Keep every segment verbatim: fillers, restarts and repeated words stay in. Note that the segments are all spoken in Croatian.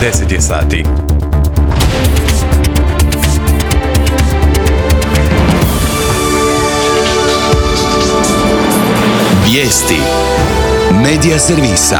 deset je sati. Vijesti Medija servisa.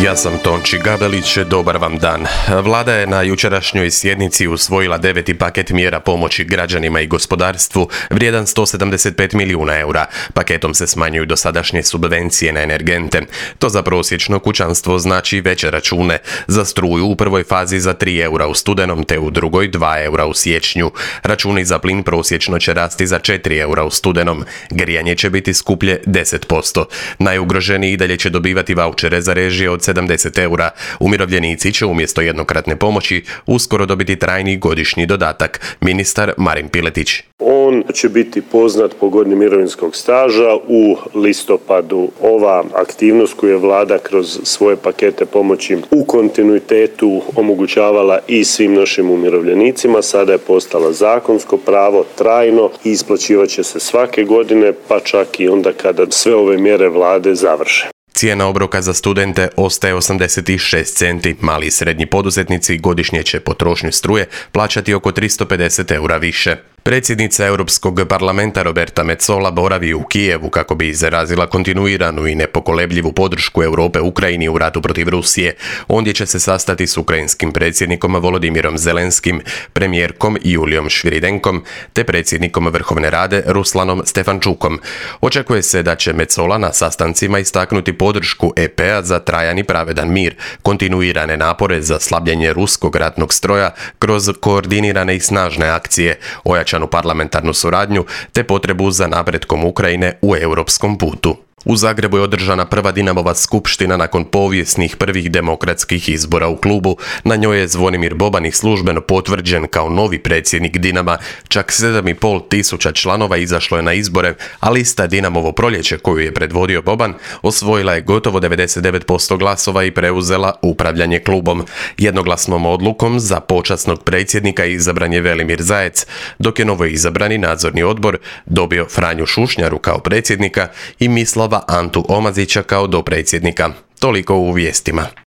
Ja sam Tonči Gabelić, dobar vam dan. Vlada je na jučerašnjoj sjednici usvojila deveti paket mjera pomoći građanima i gospodarstvu vrijedan sto sedamdeset pet milijuna eura. Paketom se smanjuju dosadašnje subvencije na energente. To za prosječno kućanstvo znači veće račune. Za struju u prvoj fazi za tri eura u studenom te u drugoj dva eura u siječnju. Računi za plin prosječno će rasti za četiri eura u studenom. Grijanje će biti skuplje deset posto. Najugroženiji i dalje će dobivati vaučere za režije od sedamdeset eura. Umirovljenici će umjesto jednokratne pomoći uskoro dobiti trajni godišnji dodatak. Ministar Marin Piletić. On će biti poznat po godini mirovinskog staža u listopadu. Ova aktivnost koju je vlada kroz svoje pakete pomoći u kontinuitetu omogućavala i svim našim umirovljenicima, sada je postala zakonsko pravo, trajno i isplaćivat će se svake godine, pa čak i onda kada sve ove mjere vlade završe. Cijena obroka za studente ostaje osamdeset šest centi. Mali i srednji poduzetnici godišnje će potrošnju struje plaćati oko tristo pedeset eura više. Predsjednica Europskog parlamenta Roberta Metsola boravi u Kijevu kako bi izrazila kontinuiranu i nepokolebljivu podršku Europe Ukrajini u ratu protiv Rusije. Ondje će se sastati s ukrajinskim predsjednikom Volodimirom Zelenskim, premijerkom Julijom Šviridenkom te predsjednikom Vrhovne rade Ruslanom Stefančukom. Očekuje se da će Metsola na sastancima istaknuti podršku E P-a za trajan i pravedan mir, kontinuirane napore za slabljenje ruskog ratnog stroja kroz koordinirane i snažne akcije, ojačanu parlamentarnu suradnju te potrebu za napretkom Ukrajine u europskom putu. U Zagrebu je održana prva Dinamova skupština nakon povijesnih prvih demokratskih izbora u klubu. Na njoj je Zvonimir Boban službeno potvrđen kao novi predsjednik Dinama. Čak sedam i pol tisuća članova izašlo je na izbore, a lista Dinamovo proljeće koju je predvodio Boban osvojila je gotovo devedeset devet posto glasova i preuzela upravljanje klubom. Jednoglasnom odlukom za počasnog predsjednika izabran je Velimir Zajec, dok je novo izabrani nadzorni odbor dobio Franju Šušnjaru kao predsjednika i Mislava Antu Omazića kao dopredsjednika. Toliko u vijestima.